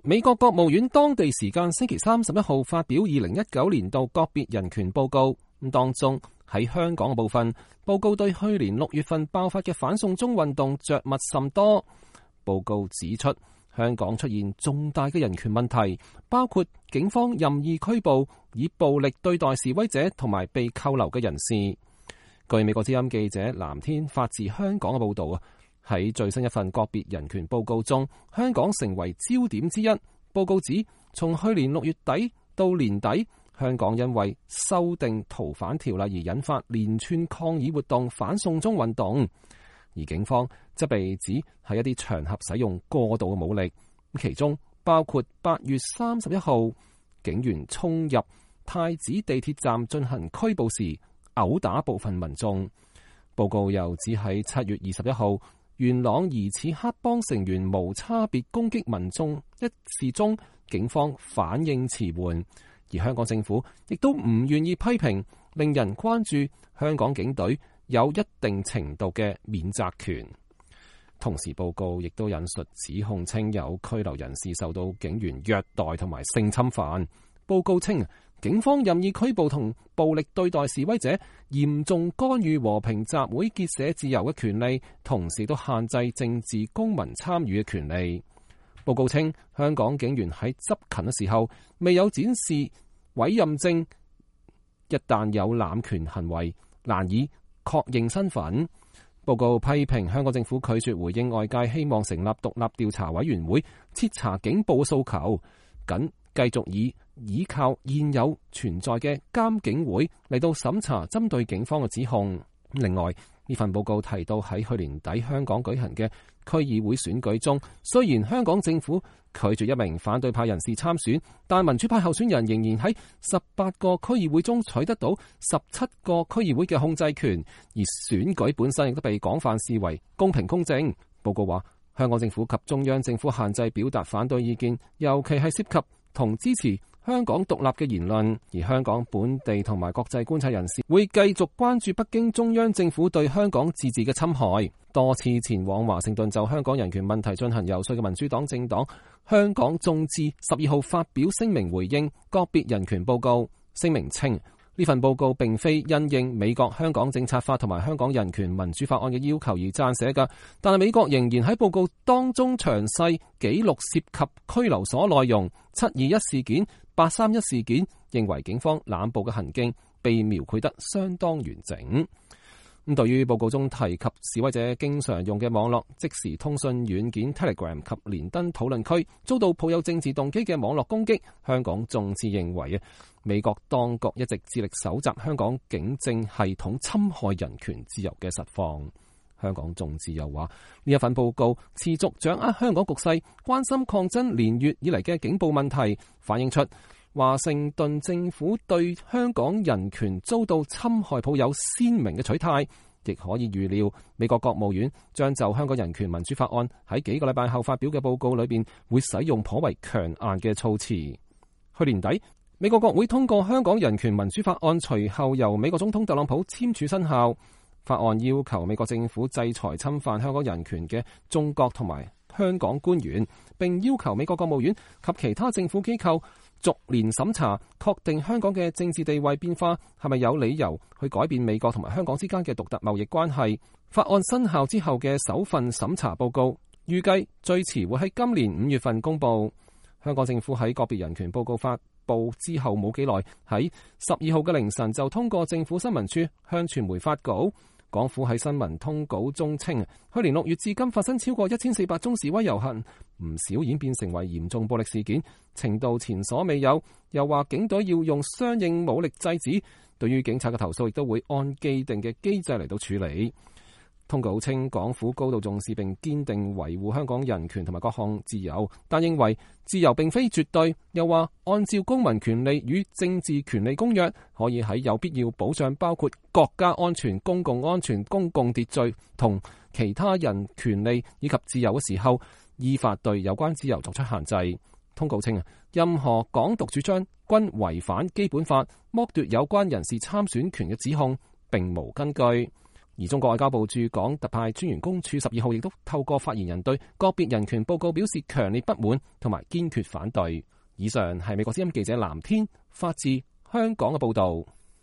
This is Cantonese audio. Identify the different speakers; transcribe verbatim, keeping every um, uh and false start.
Speaker 1: 美國國務院當地時間星期三十一號發表二零一九年度個別人權報告，咁當中喺香港嘅部分，報告對去年六月份爆發嘅反送中運動着墨甚多。報告指出，香港出現重大嘅人權問題，包括警方任意拘捕以暴力對待示威者同埋被扣留嘅人士。據美國之音記者藍天發自香港嘅報道啊，喺最新一份個別人權報告中，香港成為焦點之一。報告指，從去年六月底到年底，香港因為修訂逃犯條例而引發連串抗議活動，反送中運動，而警方則被指喺一啲場合使用過度嘅武力，其中包括八月三十一號警員衝入太子地鐵站進行拘捕時毆打部分民眾。報告又指喺七月二十一號元朗疑似黑幫成員無差別攻擊民眾一事中，警方反應遲緩，而香港政府亦都唔願意批評，令人關注香港警隊有一定程度嘅免責權。同時報告亦都引述指控稱有拘留人士受到警員虐待同埋性侵犯。報告稱警方任意拘捕同暴力對待示威者，嚴重干預和平集會結社自由嘅權利，同時都限制政治公民參與嘅權利。報告稱，香港警員喺執勤嘅時候未有展示委任證，一旦有濫權行為，難以確認身份。報告批評香港政府拒絕回應外界希望成立獨立調查委員會徹查警暴訴求，僅繼續以依靠現有存在嘅監警會嚟到審查針對警方嘅指控。另外，呢份報告提到喺去年底香港舉行嘅區議會選舉中，雖然香港政府拒絕一名反對派人士參選，但民主派候選人仍然喺十八個區議會中取得到十七個區議會嘅控制權，而選舉本身亦都被廣泛視為公平公正。報告話，香港政府及中央政府限制表達反對意見，尤其係涉及同支持香港獨立嘅言論，而香港本地同埋國際觀察人士會繼續關注北京中央政府對香港自治嘅侵害。多次前往華盛頓就香港人權問題進行游說嘅民主黨政黨香港眾志十二號發表聲明回應個別人權報告。聲明稱，呢份報告並非因應美國香港政策法同埋香港人權民主法案嘅要求而撰寫嘅，但係美國仍然喺報告當中詳細記錄涉及拘留所內容、七二一事件、八三一事件，認為警方濫捕嘅行徑被描繪得相當完整。咁對於報告中提及示威者經常用嘅網絡即時通訊軟件 Telegram 及連登討論區遭到抱有政治動機嘅網絡攻擊，香港眾志認為啊，美國當局一直致力搜集香港警政系統侵害人權自由嘅實況。香港眾志又話，呢一份報告持續掌握香港局勢，關心抗爭連月以嚟嘅警暴問題，反映出華盛頓政府對香港人權遭到侵害抱有鮮明嘅取態，亦可以預料美國國務院將就香港人權民主法案喺幾個禮拜後發表嘅報告裏邊會使用頗為強硬嘅措辭。去年底，美國國會通過香港人權民主法案，隨後由美國總統特朗普簽署生效。法案要求美國政府制裁侵犯香港人權嘅中國同埋香港官員，並要求美國國務院及其他政府機構逐年審查，確定香港嘅政治地位變化係咪有理由去改變美國同埋香港之間嘅獨特貿易關係。法案生效之後嘅首份審查報告，預計最遲會喺今年五月份公佈。香港政府喺個別人權報告發布之後冇幾耐，喺十二號嘅凌晨就通過政府新聞處向傳媒發稿。港府喺新聞通稿中稱，去年六月至今發生超過一千四百宗示威遊行，唔少演變成為嚴重暴力事件，程度前所未有。又話警隊要用相應武力制止，對於警察嘅投訴亦都會按既定嘅機制嚟到處理。通稿稱，港府高度重視並堅定維護香港人權同埋各項自由，但認為自由並非絕對。又話按照公民權利與政治權利公約，可以喺有必要保障包括國家安全、公共安全、公共秩序同其他人權利以及自由嘅時候，依法對有關自由作出限制。通告稱，任何港獨主張均違反基本法，剝奪有關人士參選權嘅指控並無根據。而中國外交部駐港特派專員公署十二號亦都透過發言人對個別人權報告表示強烈不滿同埋堅決反對。以上係美國之音記者藍天發自香港嘅報導。